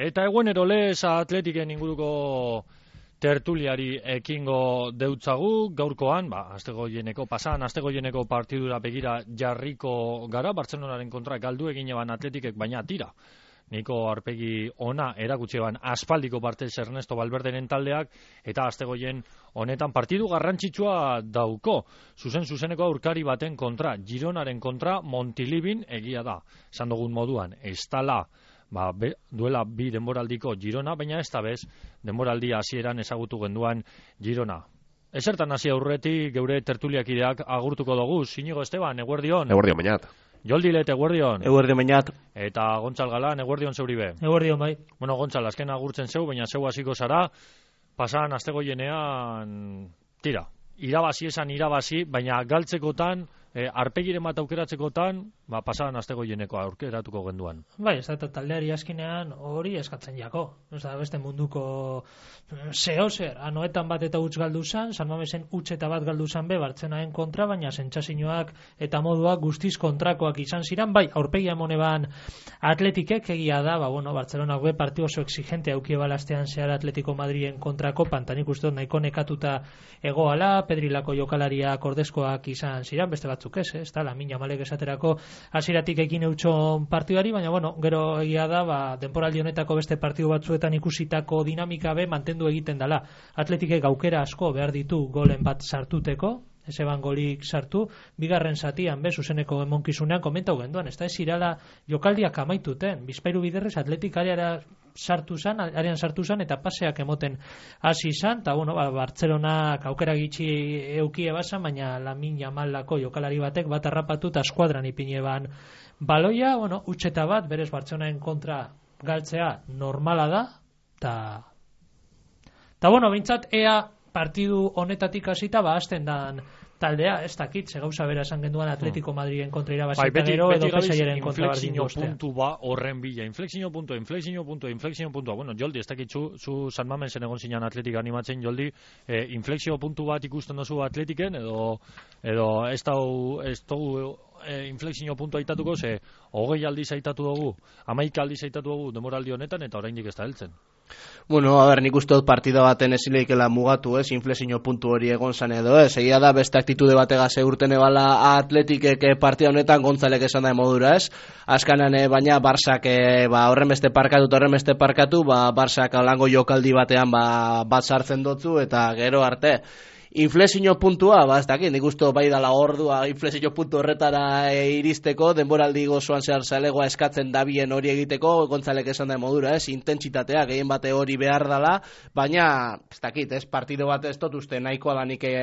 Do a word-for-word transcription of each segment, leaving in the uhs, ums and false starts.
Eta eguenero lez Atletiken inguruko tertuliari ekingo deutzagu, gaurkoan, ba, astegoieneko, pasan astegoieneko partidura begira jarriko gara, Bartzelonaren kontra galdu egin eban Atletikek, baina tira. Niko arpegi ona erakutsi eban aspaldiko partez Ernesto Valverderen taldeak, eta astegoien honetan partidu garrantzitsua dauko. Zuzen-zuzeneko aurkari baten kontra, Gironaren kontra Montilibin egia da. Esan dugun moduan, ez tala, Ba, be, duela bi denboraldiko Girona, baina ez da bez, denboraldi hasieran ezagutu genduan Girona. Ezertan hasi aurretik geure tertuliakideak agurtuko dugu. Inigo Esteban, eguerdion. Eguerdion, bainat. Joldilet, eguerdion. Eguerdion, bainat. Eta Gontzal Galan, eguerdion zeuribe. Eguerdion, bai. Bueno, Gontzal, azken agurtzen zeu, baina zeu hasiko zara, pasan astegoienean, tira, irabazi esan irabazi, baina galtzekotan, E, arpegiren bat aukeratzekotan, ba, pasadan astegoieneko aukeratuko genduan. Bai, ez da taldeari askinean hori eskatzen jako. Ez da beste munduko zeo zer, anoetan bat eta utz galdu zan, San Mamesen utz eta bat galdu zan be, Bartzenaen kontra, baina sentsazioak eta moduak guztiz kontrakoak izan ziren, bai, aurpegia moneban Atletikek egia da, ba, bueno, Bartzelonak be partidu oso exigente aukie balastean zehar Atletico Madriden kontrako, pantanik uste dut nahiko nekatuta egoala, Pedrilako jokalariak ordezkoak izan ziren, beste bat ez, ez da, Lamine Yamalek esaterako hasieratik ekin eutxon partidari, baina bueno, gero egia da, ba, denporaldi honetako beste partidu batzuetan ikusitako dinamika be mantendu egiten dela. Atletikek aukera asko behar ditu golen bat sartuteko, ez eban golik sartu, bigarren zatian be, zuzeneko emonkizunean komentau genduan, ez da, ez irala jokaldiak amaituten, bizpairu biderrez Atletik areara sartu zan, arean sartu zan, eta paseak emoten hasi zan, eta bueno, ba, Bartzelonak aukera gitxi eukie basan, baina Lamine Yamalako jokalari batek bat harrapatu eta eskuadran ipine ban baloia, bueno, utxeta bat, berez Bartzelonaen kontra galtzea normala da, eta eta bueno, bintzat, ea partidu honetatik hasita, ba, hasten dan taldea, ez dakit, ze gauza bera esan genduan Atletico Madriden kontra irabazita bai, gero, edo pesaiaren kontra bardin guztea. Puntu ba horren bila, inflexio puntua, inflexio puntua, inflexio puntua. Bueno, Joldi, ez dakit zu, zu San Mamesen egon zinan Atletik animatzen, Joldi, eh, inflexio puntu bat ikusten dozu Atletiken, edo, edo ez dau, ez dau, E, inflexio puntua aitatuko, ze hogei aldiz aitatu dugu, hamaika aldiz aitatu dugu demoraldi honetan, eta oraindik ez da heltzen. Bueno, a ber, nik uste dut partida baten ezileikela mugatu, ez, inflexio puntu hori egon zan edo, ez, egia da beste aktitude bategaz eurten ebala Atletikek partida honetan Gontzalek esan da modura, ez, askanan, e, baina Barsak, e, ba, horren beste parkatu, horren beste parkatu, ba, Barsak alango jokaldi batean, ba, bat sartzen dotzu, eta gero arte, inflexio puntua, ba, ez dakit, nik uste bai dala ordua inflexio puntu horretara e, iristeko, denboraldi gozoan zehar zalegoa eskatzen dabien hori egiteko, Gontzalek esan da modura, ez, intentsitatea, gehien bate hori behar dala, baina, ez dakit, ez, partido bat ez dut uste, nahikoa da nik e,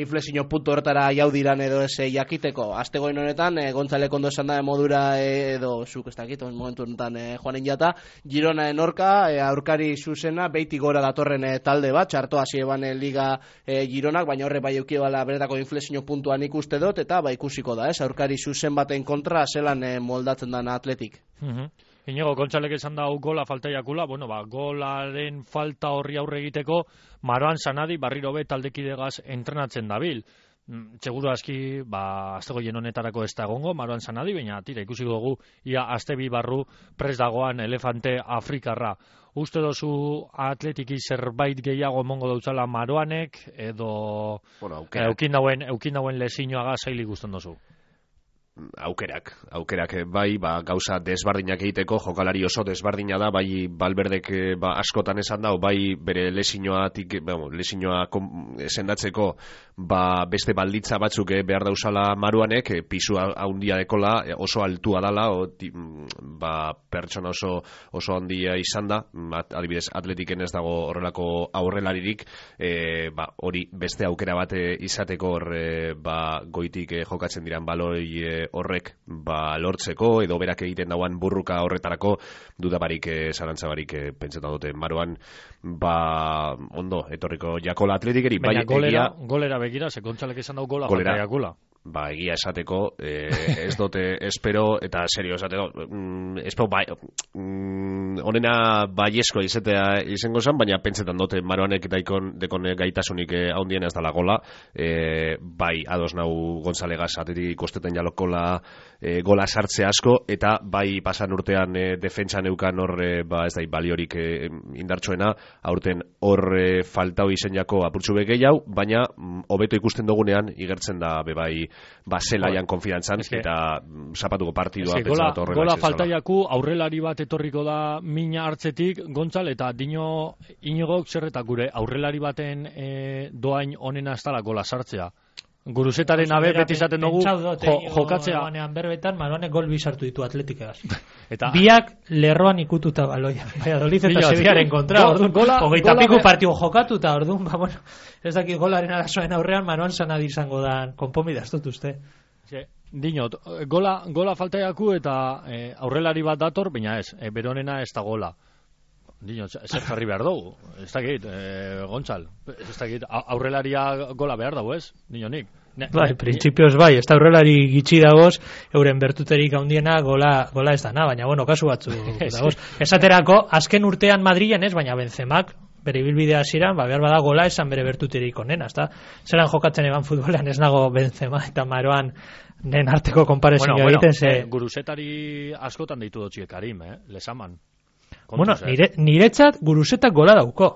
inflexio puntu horretara jaudiran edo ez e, jakiteko, astegoin honetan, e, Gontzalek ondo esan da modura e, edo, zuk ez dakit, momentu honetan e, joanen jata, Gironaen orka, e, aurkari zuzena, beiti gora datorren e, talde bat, txarto hasi eban e, liga e, Girona, baina horre bai eukibala beretako inflexio puntuan ikuste dut, eta ba ikusiko da, ez, aurkari zuzen baten kontra zelan e, moldatzen dan Atletik. Uh-huh. Inigo, Gontzalek esan da gola faltaiakula, bueno, ba, golaren falta horri aurre egiteko, Maroan Sanadi barriro be taldekidegaz entrenatzen dabil. Seguru aski, ba, astegoien honetarako ez da egongo, Maroan Sanadi, baina tira, ikusi dugu, ia aste bi barru pres dagoan elefante afrikarra. Uste dozu Atletiki zerbait gehiago emongo dautzala Maroanek, edo bueno, eukin dauen, eukin dauen lesinoaga zailik gusten dozu? Aukerak, aukerak bai, ba, gauza desbardinak egiteko, jokalari oso desbardina da, bai Valverdek ba, askotan esan dau, bai bere lesinoatik, bueno, lesinoa sendatzeko ba, beste balditza batzuk eh, behar dauzala Maruanek, eh, pisu handia dekola, eh, oso altua dala, o, ti, ba, pertsona oso, oso handia izan da, at, adibidez Atletiken ez dago horrelako aurrelaririk, eh, ba, hori beste aukera bat eh, izateko hor, eh, ba, goitik eh, jokatzen diran baloi eh, horrek ba, lortzeko edo berak egiten dauan burruka horretarako dudabarik, eh, zarantzabarik eh, pentsetan dute Maroan ba, ondo, etorriko jakola Atletikeri. Baina bai, golera, egia, golera begira, ze Gontzalek esan dau gola faltaiakula. ba, egia esateko, eh, ez dute espero, eta serio esateko, mm, espero bai, mm, onena baiesko izatea izango zen, baina pentsetan dute Maroanek daikon dekon gaitasunik eh, haundien ez dala gola, eh, bai, ados nau Gonzalegaz atetik ikosteten jalokola eh, gola sartze asko, eta bai pasan urtean eh, defentsan eukan hor, eh, ba, ez da, baliorik eh, indartsuena, aurten hor eh, faltau izen jako apurtxu begeiau, baina mm, hobeto ikusten dugunean, igertzen da, bebai, ba, zelaian konfidantzan, eta zapatuko partidua gola, gola faltaiaku aurrelari bat etorriko da mina hartzetik, Gontzal, eta dino Inigok zer eta gure aurrelari baten e, doain onena ez dala gola sartzea. Guruzetaren abe beti izaten dugu jo, jokatzea. Berbetan Maroanek gol bi sartu ditu Atletikegaz. Eta biak lerroan ikututa baloia. Valladolid eta Sevillaren kontra, orduan gola, hogeita piku partidu jokatuta, orduan, ba, bueno, ez dakit golaren arazoen aurrean Maroan sana izango da konponbide ez dut uste. Dinot, gola, gola faltaiaku eta e, aurrelari bat dator, baina ez, e, beronena ez da gola. Dinot, zer jarri behar dugu, ez dakit, e, Gontzal, ez dakit, aurrelaria gola behar dugu ez, dinonik. Ne, bai, ne, printzipioz bai, ez da aurrelari gitxi dagoz, euren bertuterik handiena gola, gola ez dana, baina bueno, kasu batzu dagoz. Esaterako, azken urtean Madrilen ez, baina Benzemak, bere ibilbidea hasieran, ba, behar bada gola esan bere bertuterik onena, ezta? Zeran jokatzen eban futbolean ez nago Benzema eta Maroan nen arteko konparezio bueno, egiten, bueno, ze... Eh, guruzetari askotan deitu dotxiek Karim, eh? Lesaman. Bueno, nire, niretzat guruzetak gola dauko.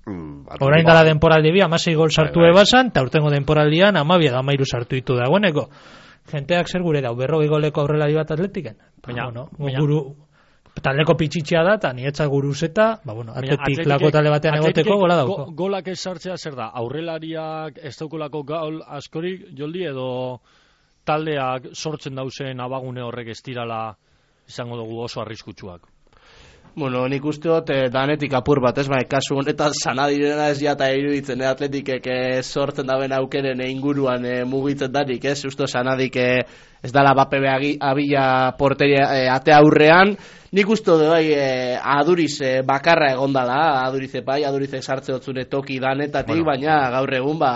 Mm, Orain dala denporaldi bi, amasei gol sartu bai, bai. Ebasan, eta urtengo denporaldian amabia gamairu sartu ditu dagoeneko. Jenteak zer gure dau, berrogei goleko aurrelari bat Atletiken. Baina, bueno, baina. Guru... Taldeko pitxitxea da, eta niretzat guruzeta, ba, bueno, atletik lako tale batean egoteko gola dauko. Go, golak ez sartzea zer da, aurrelariak ez daukolako gol askorik joldi edo taldeak sortzen dauzen abagune horrek ez dirala izango dugu oso arriskutsuak. Bueno, nik uste dut eh, danetik apur bat, ez bai, kasu honetan Sanadirena ez jata iruditzen, eh, Atletikek eh, sortzen daben aukeren eh, inguruan eh, mugitzen danik, ez? Usto Sanadik eh, ez dala bapebe abila porteria eh, ate aurrean, nik uste dut bai, eh, aduriz eh, bakarra egondala, adurize bai, adurize sartze hotzune toki danetatik, bueno, baina gaur egun, ba,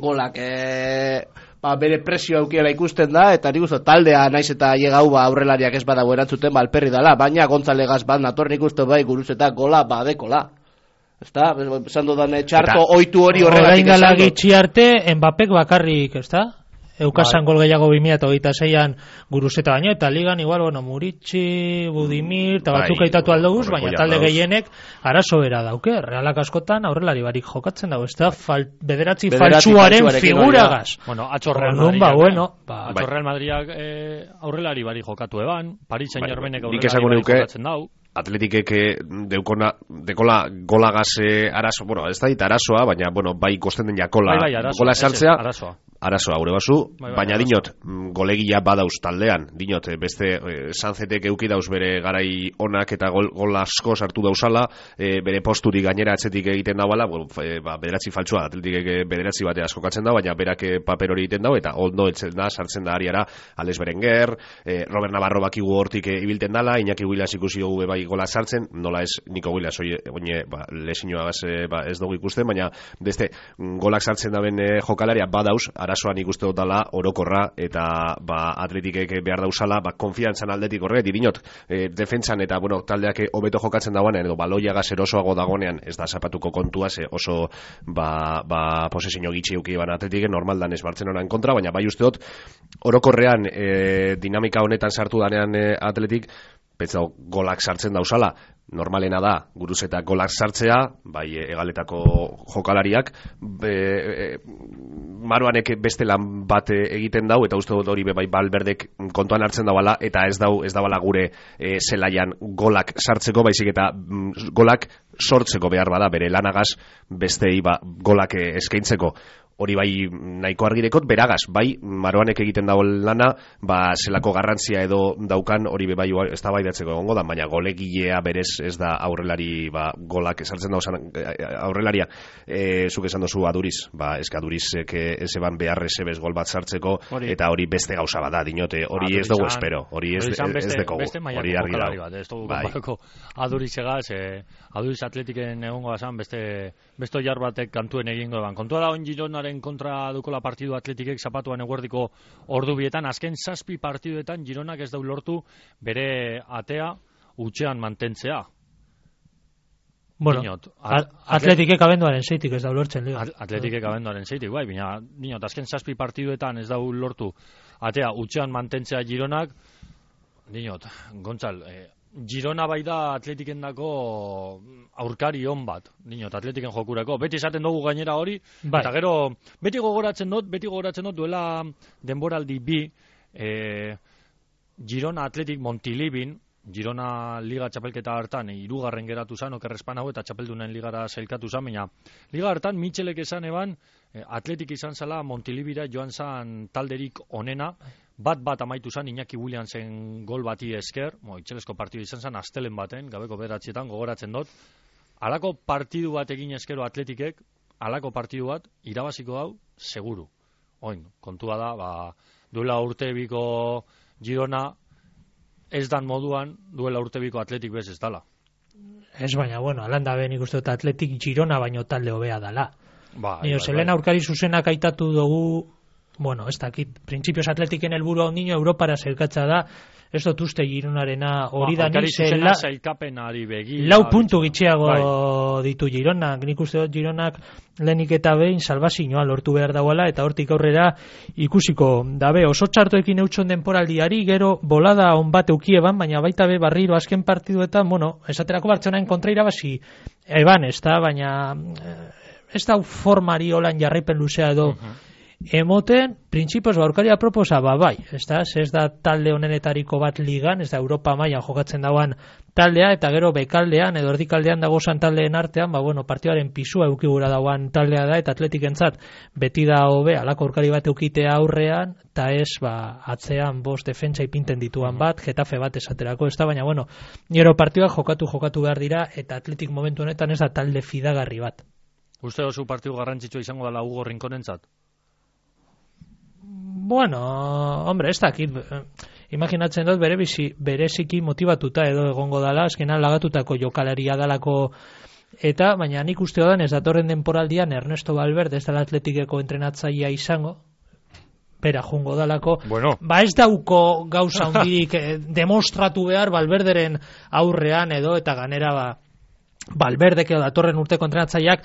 golak... Eh, ba, bere presio aukiela ikusten da, eta nik uste taldea naiz eta llegau ba, aurrelariak ez badago erantzuten ba, alperri dala, baina Gonzalegaz bat nator nik uste bai guruzeta gola badekola. Ezta? Esan dudan txarto oitu hori horregatik esan dut. Orain gitxi arte, Mbappek bakarrik, ezta? Eukasan gol gehiago bi mila hogeita seian guruzeta baino, eta ligan igual, bueno, Muritxi, Budimir, eta batzuk aitatu aldoguz, baina talde gehienek arazo bera dauke, realak askotan aurrelari barik jokatzen dago, ez da, fal, bederatzi, bederatzi faltsuaren figuragaz. Bueno, atxo Real Madriak, ba, bueno, ba, atxo Real Madriak eh, aurrelari barik jokatu eban, Paris Saint-Germainek bai, aurrelari barik jokatzen dau. Atletikek deukona, dekola golagaz arazo, bueno, ez da dit arazoa, baina, bueno, bai kosten den jakola bai, bai, arazoa, gola sartzea, arazoa. Arazoa, gure basu, bai, bai, baina arazoa. Dinot, golegia badauz taldean, dinot, beste eh, Sanzetek euki dauz bere garai onak eta gol, gol asko sartu dauzala, eh, bere posturik gainera atzetik egiten dauala, bueno, eh, ba, bederatzi faltsua, Atletikek bederatzi bate askokatzen da, baina berak paper hori egiten dau, eta ondo etzen da, sartzen da ariara, Alex Berenguer, eh, Robert Navarro bakigu hortik ibilten dala, Iñaki Huilas ikusi dugu bai gola sartzen, nola ez Niko Huilas, oine, ba, lesinoa ba, ez dugu ikusten, baina beste golak sartzen daben eh, jokalaria badauz, arazoan ikuste dut dala orokorra, eta ba, Atletikek behar dauzala, ba, konfiantzan aldetik horret, dinot, e, defentsan eta bueno, taldeak hobeto jokatzen dagoenean, edo baloiagaz erosoago dagonean, ez da zapatuko kontua, ze oso ba, ba, posesio gitxi euki ban Atletikek, normaldan ez Bartzelonan kontra, baina bai uste dut, orokorrean e, dinamika honetan sartu danean e, Atletik, petza golak sartzen dauzala, normalena da, guruzeta golak sartzea, bai egaletako jokalariak, be, e, Maroanek beste lan bat egiten dau, eta uste dut hori bai Balberdek kontuan hartzen dauala, eta ez dau ez dauala gure e, zelaian golak sartzeko, baizik eta mm, golak sortzeko behar bada, bere lanagaz bestei ba, golak eskaintzeko. Hori bai nahiko argirekot, beragaz, bai Maroanek egiten dago lana, ba zelako garrantzia edo daukan hori bai ez da bai datzeko egongo da, baina golegilea berez ez da aurrelari ba, golak esartzen dauzan aurrelaria, e, zuk esan dozu Aduriz, ba eska Adurizek ez eban behar esebez gol bat sartzeko, hori. Eta hori beste gauza bada, dinote, hori ez dugu espero, hori ez, ez dekogu, hori argi dago. Ez dugu konparako Adurizegaz, e, Aduriz Atletiken egongo azan beste, beste jar batek kantuen egingo eban. Kontua da on Girona Gironaren kontra dukola partidu Atletikek zapatuan eguerdiko ordu bietan, azken zazpi partiduetan Gironak ez dau lortu bere atea utxean mantentzea. Bueno, Dinot, at, Atletikek abenduaren zeitik ez da lortzen liga. Atletikek abenduaren zeitik, bai, baina dinot, azken zazpi partiduetan ez dau lortu atea utxean mantentzea Gironak. Dinot, Gontzal, eh, Girona bai da Atletikendako aurkari on bat, dinot, Atletiken jokurako. Beti esaten dugu gainera hori, bai. Eta gero, beti gogoratzen dut, beti gogoratzen dut duela denboraldi bi, eh, Girona Atletik Montilibin, Girona Liga txapelketa hartan hirugarren geratu zan, okerrespan hau eta txapeldunen ligara sailkatu zan, baina Liga hartan Mitxelek esan eban Atletik izan zala Montilibira joan zan talderik onena, bat bat amaitu zan Iñaki Williamsen gol bati esker, mo, itxelesko partidu izan zan astelen baten, gabeko bederatzietan gogoratzen dut, halako partidu bat egin eskero Atletikek, halako partidu bat irabaziko hau seguru. Oin, kontua da, ba, duela urte biko Girona ez dan moduan duela urtebiko Atletik bez ez dala. Ez baina, bueno, alanda ben ikustu eta Atletik Girona baino talde hobea dala. Ba, Nio, bai, zelen bai. aurkari zuzenak aitatu dugu, bueno, ez dakit, printzipioz Atletiken helburua ondino Europara zelkatza da, ez dut uste Gironarena hori da nik zela, sailkapenari begi. lau puntu gitxeago bai. ditu Gironak, nik uste dut Gironak lehenik eta behin salbazioa lortu behar dagoela, eta hortik aurrera ikusiko dabe, oso txartoekin eutxon denporaldiari, gero bolada on bat eukieban, baina baita be barriro azken partiduetan, bueno, esaterako Bartzelonaen kontra irabazi eban, ez da, baina ez da formari holan jarraipen luzea edo uh-huh. Emoten, printzipioz aurkaria proposa, ba, bai, ez da, ez da talde honenetariko bat ligan, ez da Europa mailan jokatzen dauan taldea, eta gero bekaldean, edo erdikaldean dagozan taldeen artean, ba, bueno, partioaren pisua eukigura dauan taldea da, eta Atletikentzat beti da hobe, alako aurkari bat eukitea aurrean, eta ez, ba, atzean bost defentsa ipinten dituan bat, Getafe bat esaterako, ez da, baina, bueno, nire partioak jokatu, jokatu behar dira, eta Atletik momentu honetan ez da talde fidagarri bat. Uste oso partidu garrantzitsua izango dela Hugo Rinkonentzat? Bueno, hombre, ez dakit, imaginatzen dut bere bizi, bereziki motibatuta edo egongo dala, azkenan lagatutako jokalaria dalako, eta, baina nik uste odan ez datorren denporaldian Ernesto Valverde ez dala Atletikeko entrenatzailea izango, bera jungo dalako, bueno. Ba ez dauko gauza hundirik eh, demostratu behar Valverderen aurrean edo, eta ganera ba, Valverdek edo datorren urteko entrenatzaileak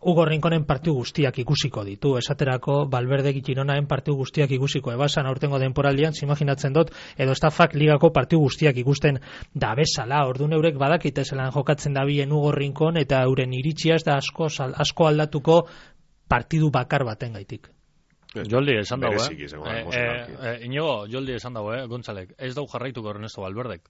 Hugo Rinkonen partidu guztiak ikusiko ditu, esaterako Valverdek Gironaen partidu guztiak ikusiko ebasan aurtengo denporaldian, imaginatzen dut, edo estafak ligako partidu guztiak ikusten da bezala, ordu neurek badakite zelan jokatzen dabien Hugo Rinkon, eta euren iritsia ez da asko, asko aldatuko partidu bakar baten gaitik. Joldi esan dago, eh? eh, eh, eh Inigo, Joldi esan dago, eh, Gontzalek. Ez dau jarraituko Ernesto Valverdek.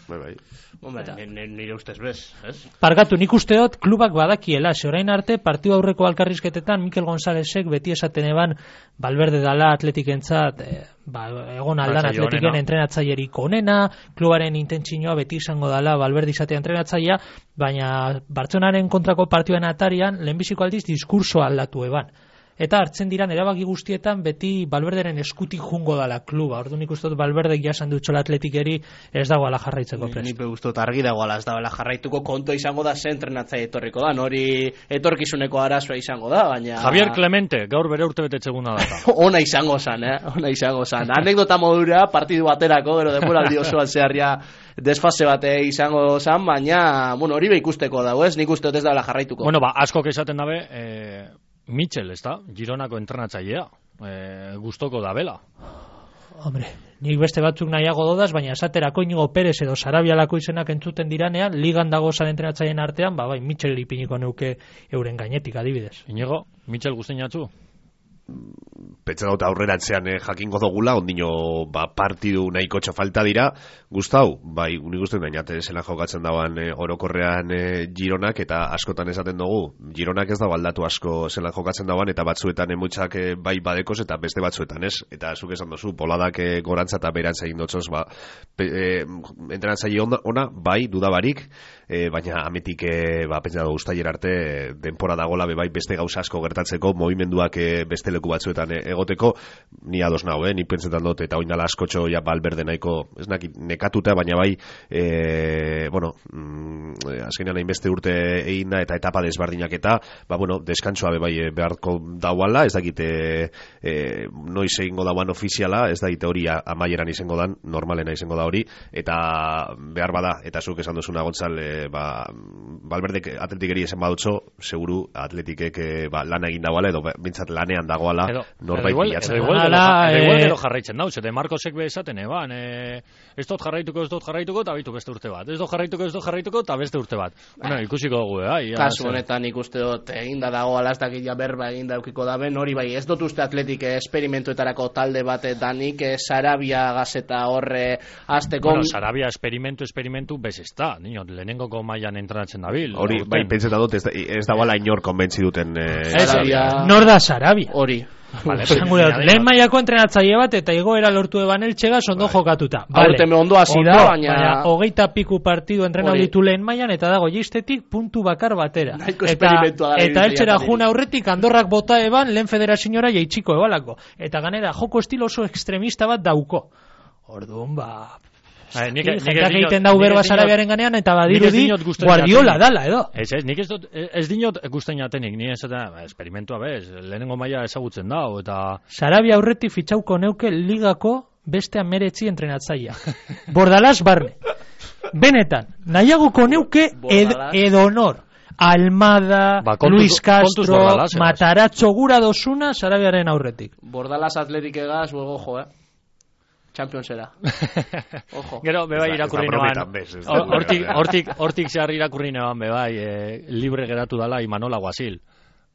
Bai, bai. Hombre, nire ustez bez, ez? Pargatu, nik usteot klubak badakiela, ze orain arte partidu aurreko alkarrizketetan Mikel Gonzálezek beti esaten eban Valverde dala Atletikentzat, eh, ba, egon aldan Atletiken entrenatzailerik onena, klubaren intentzioa beti izango dala Valverde izatea entrenatzailea, baina Bartzelonaren kontrako partioen atarian lehenbiziko aldiz diskurso aldatu eban. Eta hartzen diran erabaki guztietan beti Valverderen eskutik jungo dala kluba. Orduan ikustot Valverdek jasan dutxola Atletikeri ez dago ala jarraitzeko prest. Nipe guztot argi dago ala ez dago jarraituko, konto izango da zen entrenatzaile etorriko da, hori etorkizuneko arazoa izango da, baina... Javier Clemente, gaur bere urte betetzeguna data. Ona izango zan, eh? Ona izango zan. Anekdota modura, partidu baterako, gero denboraldi osoan zeharria desfase bate izango zan, baina, bueno, hori be ikusteko dago, ez? Nik uste ez da jarraituko. Bueno, ba, askok esaten dabe, eh, Mitchell, ez da? Gironako entrenatzailea. Eh, gustoko da bela. Hombre, nik beste batzuk nahiago dodaz, baina esaterako Inigo Perez edo Sarabialako izenak entzuten diranean, ligan dago zan entrenatzaileen artean, ba, bai, Mitchell ipiniko neuke euren gainetik adibidez. Inigo, Mitchell guztien jatzu? Pentsa dut aurreratzean eh, jakingo dugula, ondino ba, partidu nahiko falta dira, gustau, bai, unik uste dainate zela jokatzen dauan eh, orokorrean eh, Gironak, eta askotan esaten dugu, Gironak ez da aldatu asko zela jokatzen dauan, eta batzuetan emutxak eh, bai badekoz, eta beste batzuetan ez, eta zuk esan duzu, boladak eh, gorantza eta berantza egin dutzoz, ba, eh, entrenatzaile ona, ona, bai, dudabarik, eh, baina ametik, eh, ba, pentsa dugu ustailer arte, eh, denpora dagola, be bai, beste gauza asko gertatzeko, movimenduak eh, beste leku batzuetan e, egoteko, ni ados nao, eh? Ni pentsetan dut, eta oindala askotxo ja Valverde nahiko, ez naki, nekatuta, baina bai, e, bueno, mm, azkenean hainbeste urte egin da, eta etapa desbardinak eta, ba, bueno, deskantzua be bai beharko dauala, ez dakite e, noiz egingo dauan ofiziala, ez dakite hori amaieran izango dan, normalena izango da hori, eta behar bada, eta zuk esan duzuna Gontzal, e, ba, Valverdek atletikeri esan badutxo, seguru atletikek e, ba, lana egin dagoala, edo bintzat lanean dagoala, norbait bilatzen. Edo igual gero jarraitzen dauz, eta Marcosek be esaten, eban, e, ez dut jarraituko, ez dut jarraituko, eta bitu beste urte bat. Ez dut jarraituko, ez dut jarraituko, eta beste urte bat. Bueno, ikusiko dugu, eh? Kasu honetan ikuste dut, eginda dago alastak ja berba eginda eukiko daben, hori bai, ez dut uste atletik esperimentuetarako talde bat danik, Sarabia gazeta horre azteko... Bueno, Sarabia esperimentu, esperimentu, bez ez da, niño, lehenengoko mailan entrenatzen dabil. Hori, bai, pentseta dut, ez, ez dagoela inor konbentzi duten... Eh, Sarabia... Nor da Sarabia? Hori. Vale, lehen mailako entrenatzaile bat eta igoera lortu eban eltxega ondo jokatuta. Vale. Ondo hasi da, baina... baina hogeita piku partidu entrenau ditu lehen mailan eta dago jistetik puntu bakar batera. Eta, eta eltxera juna aurretik Andorrak bota eban lehen federaziora jaitsiko ebalako. Eta ganera joko estilo oso extremista bat dauko. Orduan, ba... Jentak egiten dau berba Sarabiaren ganean eta badirudi Guardiola dala, edo. Ez, ez, nik ez dut, ez dinot gusten jatenik, ni ez eta esperimentua bez, lehenengo maila ezagutzen dau, eta... Sarabia aurretik fitxauko neuke ligako beste ameretzi entrenatzaia. Bordalás barne. Benetan, nahiagoko neuke ed, edonor. Almada, ba, kontu, Luis Castro, Bordalás, Matarazzo gura dosuna Sarabiaren aurretik. Bordalás atletik egaz, luego jo, eh? Championsera. Ojo. Gero, bebai irakurri neban. Hortik, hortik, hortik zehar irakurri neban, bebai, e, libre geratu dala Imanola Guasil.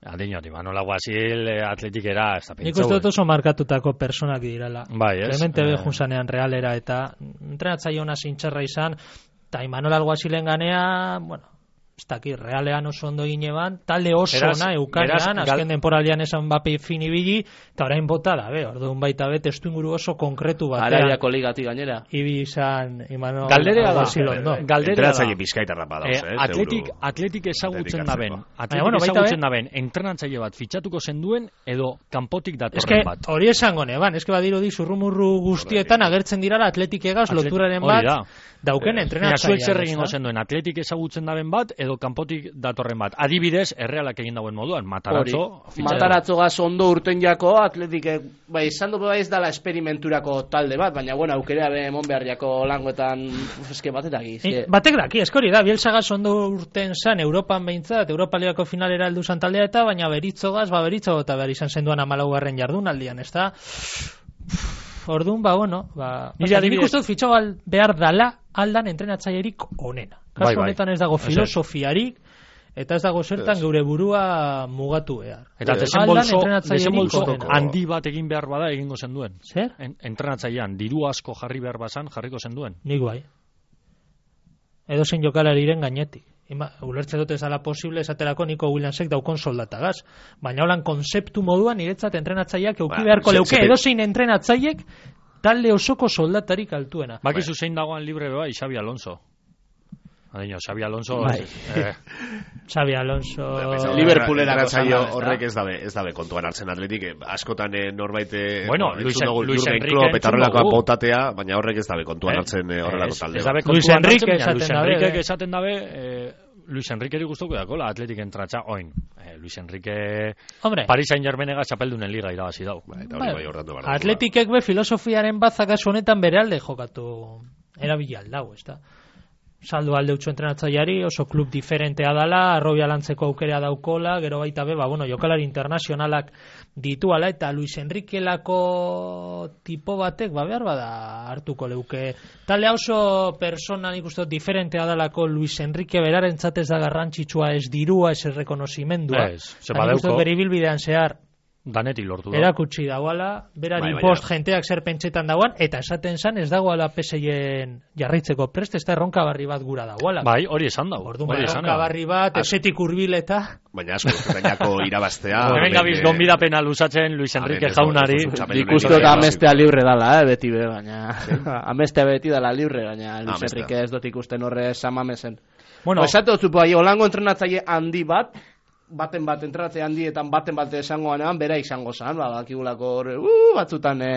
Adinot, Imanola Guasil e, atletikera, ez da pentsau. Nik uste dut oso markatutak personak dirala. Bai, ez? Clemente eh. Bejunzanean realera eta entrenatzaile ona zintxarra izan, eta Imanola Guasilen ganea, bueno, ez dakit, realean oso ondo gineban, talde oso ona eukanean, azken denporalian esan Mbappe finibili, eta orain bota da, be, orduan baita be, testu inguru oso konkretu batean. Araiako ligati gainera. Ibi izan, Imano... Galderea da, galdera da. Bizkaitarra badauz, eh? Atletik, atletik ezagutzen daben, atletik ezagutzen daben, entrenatzaile bat fitxatuko zenduen, edo kanpotik datorren bat. Hori esango neban, eske badirudi zurrumurru guztietan agertzen dirala atletik egaz, loturaren bat, dauken entrenatzaile. Zer egingo zenduen, atletik ezagutzen daben bat, edo kanpotik datorren bat. Adibidez, errealak egin dauen moduan, Matarazzo. Matarazzo gaz ondo urten jako, atletik, bai, izan dugu ez dala esperimenturako talde bat, baina, bueno, aukera be emon behar jako langoetan, eske batetak iz. E, batek daki, eskori da, Bielsa gaz ondo urten zan, Europan behintzat, Europa Ligako finalera heldu zan taldea eta, baina beritzo gaz, ba, beritzo eta behar izan zenduan amalaugarren jardunaldian, ez da? Orduan, ba, bueno, ba... Nik uste dut fitxo behar dala aldan entrenatzailerik onena. Kasu honetan ez dago filosofiarik, eta ez dago zertan geure burua mugatu behar. Eta desenbolso handi bat egin behar bada egingo zenduen. Zer? Entrenatzailean, diru asko jarri behar bazan, jarriko zenduen. Nik bai. Edo zein jokalariren gainetik. Ulertze dut ez dala posible esaterako Nico Williamsek daukon soldatagaz. Baina holan konzeptu moduan niretzat entrenatzaileak euki beharko leuke. Edo zein entrenatzaileek talde osoko soldatarik altuena. Bakizu zein dagoan libre beba, Xabi Alonso. Adino, Xabi Alonso... Bai. Eh. Xabi Alonso... Liverpoolera horrek ez dabe, ez dabe kontuan hartzen atletik, askotan norbait... Bueno, Luis, Luis Enrique... Eta horrelako botatea, baina horrek ez dabe kontuan hartzen horrelako talde. Luis Enrique esaten dabe... Luis Enriqueri guztuko dako, la atletik entratxa, oin. Eh, Luis Enrique... Hombre. Paris Saint-Germainega txapeldunen liga irabazi dau. Ba, eta hori bai ordatu behar. Atletikek be filosofiaren batzak aso honetan bere alde jokatu erabili aldau, ez da? Saldu alde utxo entrenatzaileari, oso klub diferentea dala, arrobia lantzeko aukera daukola, gero baita be, ba, bueno, jokalari internazionalak dituala, eta Luis Enriquelako tipo batek, ba, behar bada hartuko leuke. Talde oso persona nik uste diferentea dalako Luis Enrique beraren zatez da garrantzitsua, ez dirua, ez rekonozimendua. Ez, ze badeuko. Beribilbidean zehar, danetik lortu da. Erakutsi dagoala, berari bai, post jenteak zer pentsetan dagoan, eta esaten zan ez dagoala P S Ien jarraitzeko prest, ez da erronka barri bat gura dagoala. Bai, hori esan dago. Orduan, erronka barri bat, esetik urbil eta... Baina asko, gainako irabaztea... Hemen gabiz gonbidapena luzatzen Luis Enrique jaunari. Ikustu eta amestea libre dala, eh, beti be, baina... Amestea beti dala libre, baina Luis Enrique ez dut ikusten horre samamesen. Bueno, esate dut zupo, holango entrenatzaile handi bat, baten bat entratze handietan baten bat esangoanean bera izango zan, ba, bakigulako hor, uh, batzutan e,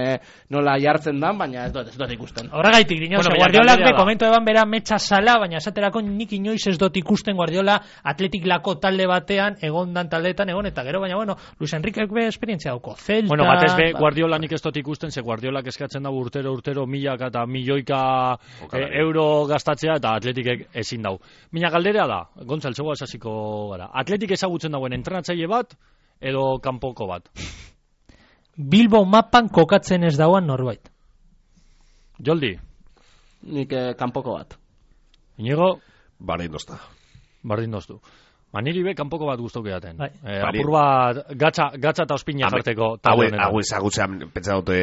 nola jartzen dan, baina ez dut, ez dut ikusten. Horregaitik, dino, bueno, Guardiolak be komento eban bera metxa sala, baina esaterako nik inoiz ez dut ikusten Guardiola Athletic lako talde batean, egon dan taldeetan, egon eta gero, baina bueno, Luis Enriquek be esperientzia dauko, Celta... Bueno, batez be, Guardiola nik ez dut ikusten, ze Guardiolak eskatzen dago urtero, urtero, milaka eta milioika e, euro gastatzea, eta Athleticek ezin dau. Mina galderea da, Gontzal, zegoa esasiko gara. Athletic ezagutzen dagoen entrenatzaile bat, edo kanpoko bat? Bilbo mapan kokatzen ez dauan norbait. Joldi? Nik eh, kanpoko bat. Inigo? Bardin dozta. Bardin doztu. Ba, niri be kanpoko bat guztoke daten. Bai. Eh, apur bat gatza, gatza eta ospina jarteko. Hau ezagutzean, pentsa dute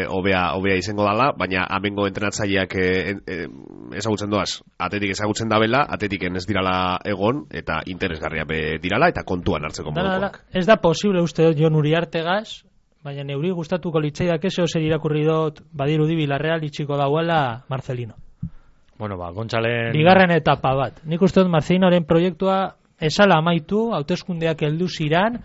obea, obea izango dala, baina amengo entrenatzaileak e, e, ezagutzen doaz. Atetik ezagutzen dabela, atetiken ez dirala egon, eta interesgarria be dirala, eta kontuan hartzeko modukoak. Ez da posible uste dut Jon Uriartegaz, baina neuri gustatuko litzaidak ese zer irakurri dut badirudi Villarreal itxiko dauela Marcelino. Bueno, ba, Gontzalen... Bigarren etapa bat. Nik uste dut Marcelinoren proiektua esala amaitu, hauteskundeak heldu ziran,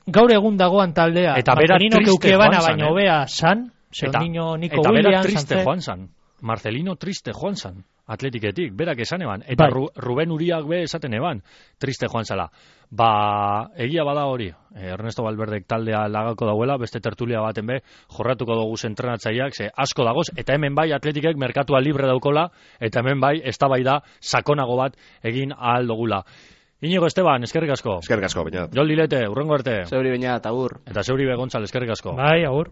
gaur egun dagoan taldea, eta bera triste joan zan, baina hobea san, eta, Nico eta Williams, bera triste joan zan, Marcelino triste joan zan, Atletiketik, berak esan eban, eta bai. Ruben Uriak be esaten eban, triste joan zala. Ba, egia bada hori, Ernesto Valverdek taldea lagako dauela, beste tertulia baten be, jorratuko dugu entrenatzaileak, ze asko dagoz, eta hemen bai Atletikek merkatua libre daukola, eta hemen bai eztabaida sakonago bat egin ahal dugula. Inigo Esteban, eskerrik asko. Eskerrik asko, baina. Joldi Lete, urrengo arte. Zeuri baina, eta agur. Eta zeuri be Gontzal, eskerrik asko. Bai, agur.